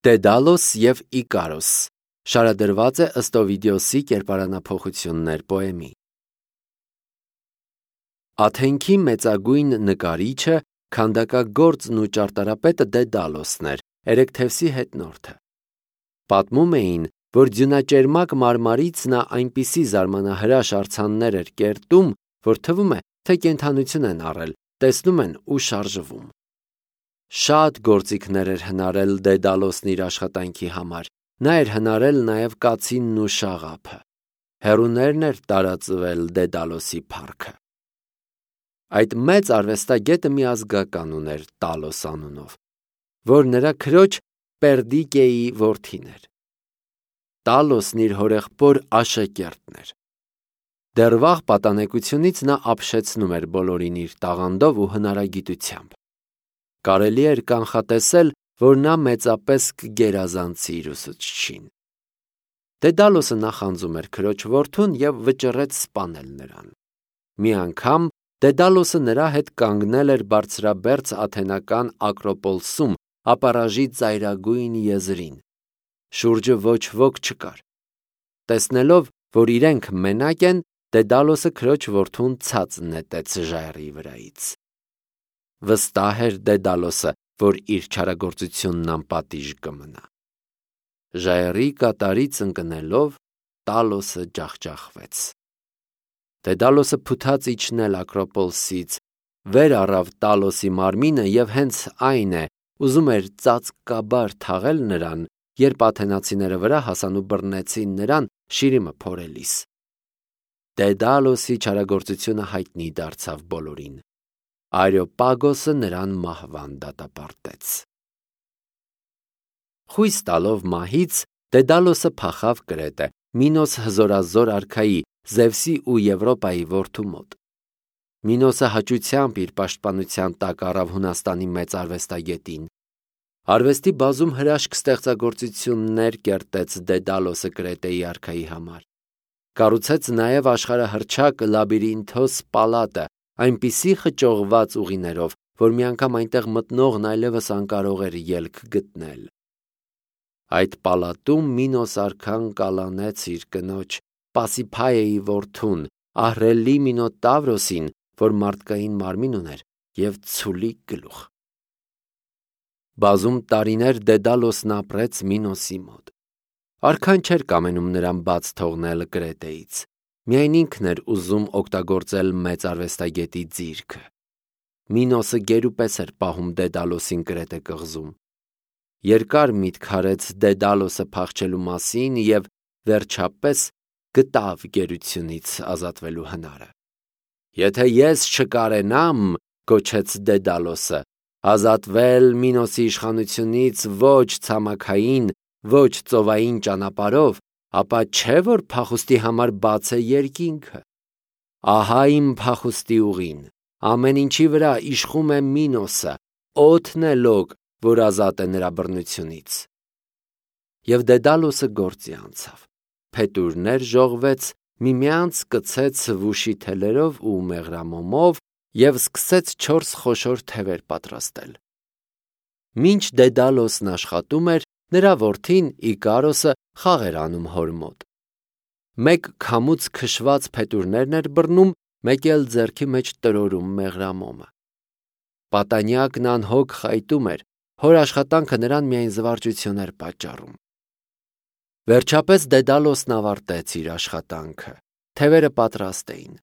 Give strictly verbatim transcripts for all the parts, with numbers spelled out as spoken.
Դեդալոս և Իկարոս շարադրված է ըստ Օվիդիոսի կերպարանափոխություններ պոեմի։ Աթենքի մեծագույն նկարիչը, քանդակագործն ու ճարտարապետը Դեդալոսն էր, Էրեքթևսի հետնորդը։ Պատմում էին, որ ձյունաճերմակ մարմարից նա այնպիսի զարմանահրաշ արձաններ էր կերտում, որ թվում է, թե կենդանություն են առել, տեսնում են ու շարժվում։ Շատ գործիքներ էր հնարել Դեդալոսն իր աշխատանքի համար, նա էր հնարել նաև կացինն ու շաղափը։ Հեռուներն էր տարածվել Դեդալոսի փառքը։ Այդ մեծ արվեստագետը մի ազգական ուներ Տալոս անունով, որ նրա քրոջ Պերդիկեի որդին էր։ Տալոսն իր հորեղբոր աշակերտն էր։ Դեռ վաղ պատանեկությունից նա ապշեցնում էր բոլորին իր տաղանդով ու հնարագիտությամբ։ Կարելի էր կանխատեսել, որ նա մեծապես կգերազանցի իր ուսուցչին։ Դեդալոսը նախանձում էր քրոջ որդուն և վճռեց սպանել նրան։ Մի անգամ Դեդալոսը նրա հետ կանգնել էր բարձրաբերձ աթենական Ակրոպոլսում ապառաժի ծայրագույն եզրին։ Շուրջը ոչ ոք չկար։ Տեսնելով, որ իրենք մենակ են, Դեդալոսը քրոջ որդուն ցած նետեց ժայռի վրայից։ Վստահ էր Դեդալոսը, որ իր չարագործությունն անպատիժ կմնա։ Ժայռի կատարից ընկնելով Տալոսը ջախջախվեց։ Դեդալոսը փութաց իջնել Ակրոպոլսից, վեր առավ Տալոսի մարմինը և հենց այն է, ուզում էր ծածկաբար թաղել նրան, երբ աթենացիները վրա հասան ու բռնեցին նրան շիրիմը փորելիս։ Դեդալոսի չարագործությունը հայտնի դարձավ բոլորին։ Արեոպագոսը նրան մահվան դատապարտեց։ Խույս տալով մահից Դեդալոսը փախավ Կրետե, Մինոս հզորազոր արքայի, Զևսի ու Եվրոպայի որդու մոտ։ Մինոսը հաճությամբ իր պաշտպանության տակ առավ Հունաստանի մեծ արվեստագետին։ Արվեստի բազում հրաշք ստեղծագործություններ կերտեց Դեդալոսը Կրետեի արքայի համար։ Կառուցեց նաև աշխարհահռչակ Լաբիրինթոս պալատը, այնպիսի խճողված ուղիներով, որ մի անգամ այնտեղ մտնողն այլևս անկարող էր ելք գտնել։ Այդ պալատում Մինոս արքան կալանեց իր կնոջ Պասիփայեի որդուն, ահռելի Մինոտավրոսին, որ մարդկային մարմին ուներ և ցուլիկ գլուխ։ Բազում տարիներ Դեդալոսն ապրեց Մինոսի մոտ։ Արքան չէր կամենում նրան բաց թողնել Կրետեից։ Միայն ինքն էր ուզում օգտագործել մեծ արվեստագետի ձիրքը։ Մինոսը գերուպես էր պահում Դեդալոսին Կրետե կղզում։ Երկար միտք արեց Դեդալոսը փախչելու մասին և վերջապես գտավ գերությունից ազատվելու հնարը։ Եթե ես չկարենամ, գոչեց Դեդալոսը, ազատվել Մինոսի իշխանությունից ոչ ցամաքային, ոչ ծովային ճանապարհով, ապա չէ որ փախուստի համար բաց է երկինքը։ Ահա իմ փախուստի ուղին, ամեն ինչի վրա իշխում է Մինոսը, օդն է լոկ, որ ազատ է նրա բռնությունից։ Եվ Դեդալոսը գործի անցավ, փետուրներ ժողվեց, միմյանց կցեց վուշի թելերով ու մեղրամոմով և սկսեց չորս խոշոր թևեր պատրաստել։ Մինչ Դեդալոսն աշխատում էր, նրա որդին Իկարոսը խաղ էր անում հոր մոտ։ Մեկ քամուց քշված փետուրներն էր բռնում, մեկ էլ ձեռքի մեջ տրորում մեղրամոմը։ Պատանյակն անհոգ խայտում էր, հոր աշխատանքը նրան միայն զվարճություն էր պատճառում։ Վերջապես Դեդալոսն ավարտեց իր աշխատանքը։ Թևերը պատրաստ էին։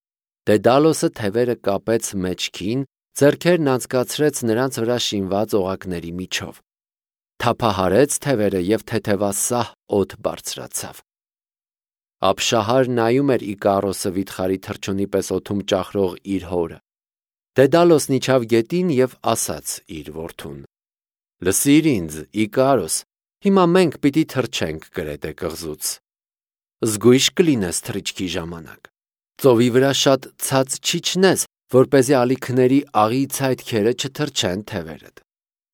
Դեդալոսը թևերը կապեց մեջքին, ձեռքերն անցկացրեց նրանց վրա շինված օղակների միջով։ Թափահարեց թևերը և թեթևասահ օդ բարձրացավ։ Ապշահար նայում էր Իկարոսը վիթխարի թռչունի պես օդում ճախրող իր հորը։ Դեդալոսն իջավ գետին և ասաց իր որդուն. «Լսիր ինձ, Իկարոս, հիմա մենք պիտի թռչենք Կրետե կղզուց։ Զգույշ կլինես թռիչքի ժամանակ։ Ծովի վրա շատ ցած չիջնես, որպեսզի ալիքների աղի ցայտքերը չթռչեն թևերդ։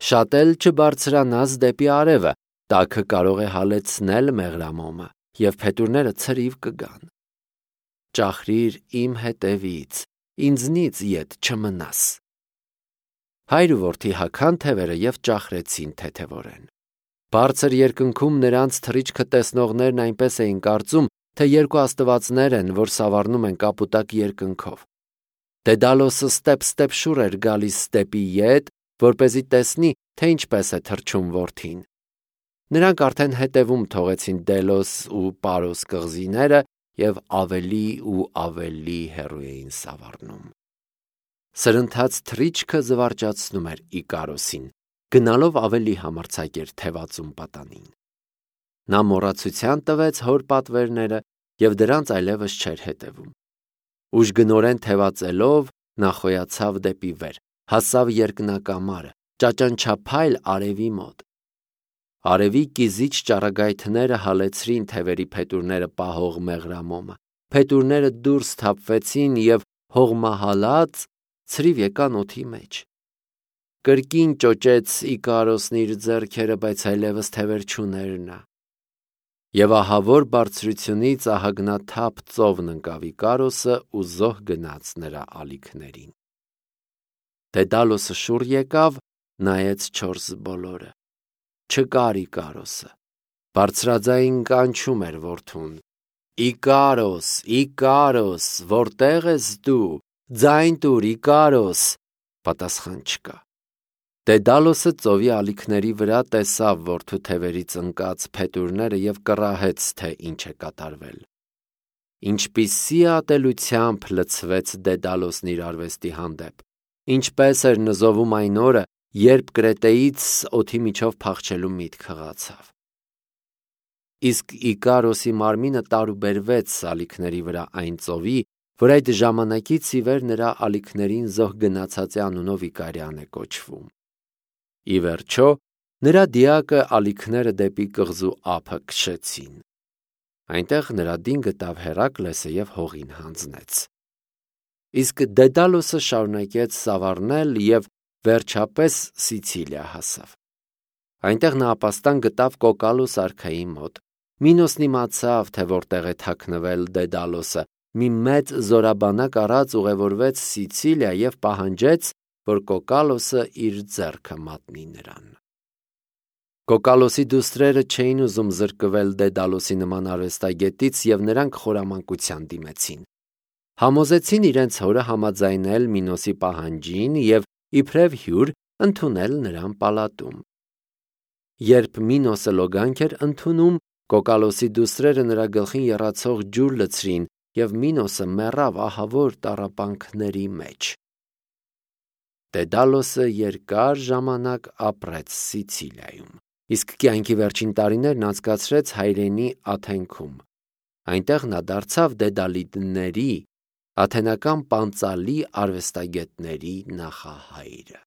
Շատ էլ չբարձրանաս դեպի արևը, տաքը կարող է հալեցնել մեղրամոմը, և փետուրները ցրիվ կգան։ Ճախրիր իմ հետևից, ինձնից ետ չմնաս»։ Հայր ու որդի հագան թևերը և ճախրեցին թեթևորեն։ Բարձր երկնքում նրանց թռիչքը տեսնողներն այնպես էին կարծում, թե երկու աստվածներ են, որ սավառնում են կապուտակ երկնքով։ Դեդալոսը ստեպ-ստեպ շուռ էր գալիս ստեպի ետ, որպեսզի տեսնի, թե ինչպես է թռչում որդին։ Նրանք արդեն հետևում թողեցին Դելոս ու Պարոս կղզիները և ավելի ու ավելի հեռու էին սավառնում։ Սրընթաց թռիչքը զվարճացնում էր Իկարոսին, գնալով ավելի համարձակ էր թևածում պատանին։ Նա մոռացության տվեց հոր պատվերները և դրանց այլևս չէր հետևում։ Ուժգնորեն թևածելով նա խոյացավ դեպի վեր, հասավ երկնակամարը, ճաճանչափայլ արևի մոտ։ Արևի կիզիչ ճառագայթները հալեցրին թևերի փետուրները պահող մեղրամոմը, փետուրները դուրս թափվեցին և հողմահալած ցրիվ եկան օդի մեջ։ Կրկին ճոճեց Իկարոսն իր ձեռքերը, բայց այլևս թևեր չուներ նա։ Եվ ահավոր բարձրությունից ահագնաթափ ծովն ընկավ Իկարոսը ու զոհ գնաց նրա ալիքներին։ Դեդալոսը շուռ եկավ, նայեց չորս բոլորը։ Չկար Իկարոսը։ Բարձրաձայն կանչում էր որդուն. Իկարոս, Իկարոս, որտե՞ղ ես դու, ձայն տուր, Իկարոս։ Պատասխան չկա։ Դեդալոսը ծովի ալիքների վրա տեսավ որդու թևերից ընկած փետուրները և կռահեց, թե ինչ է կատարվել։ Ինչպիսի ատելությամբ լցվեց Դեդալոսն իր արվեստի հանդեպ, ինչպես էր նզովում այն օրը, երբ Կրետեից օդի միջով փախչելու միտք հղացավ։ Իսկ Իկարոսի մարմինը տարուբերվեց ալիքների վրա այն ծովի, որ այդ ժամանակից ի վեր նրա ալիքներին զոհ գնացածի անունով Իկարյան է կոչվում։ Ի վերջո, նրա դիակը ալիքները դեպի կղզու ափը քշեցին։ Այնտեղ նրա դին գտավ Հերակլեսը և հողին հանձնեց։ Իսկ Դեդալոսը շարունակեց սավառնել և վերջապես Սիցիլիա հասավ։ Այնտեղ նա ապաստան գտավ Կոկալոս արքայի մոտ։ Մինոսն իմացավ, թե որտեղ է թաքնվել Դեդալոսը, մի մեծ զորաբանակ առած ուղևորվեց Սիցիլիա և պահանջեց, որ Կոկալոսը իր ձեռքը մատնի նրան։ Կոկալոսի դուստրերը չէին ուզում զրկվել Դեդալոսի նման արվեստագետից և նրանք խորամանկության դիմեցին։ Համոզեցին իրենց հորը համաձայնել Մինոսի պահանջին և իբրև հյուր ընդունել նրան պալատում։ Երբ Մինոսը լոգանք էր ընդունում, Կոկալոսի դուստրերը նրա գլխին եռացող ջուր լցրին, և Մինոսը մեռավ ահավոր տառապանքների մեջ։ Դեդալոսը երկար ժամանակ ապրեց Սիցիլիայում, իսկ կյանքի վերջին տարիներն անցկացրեց հայրենի Աթենքում։ Այնտեղ նա դարձավ Դեդալիդների, աթենական պանծալի արվեստագետների նախահայրը։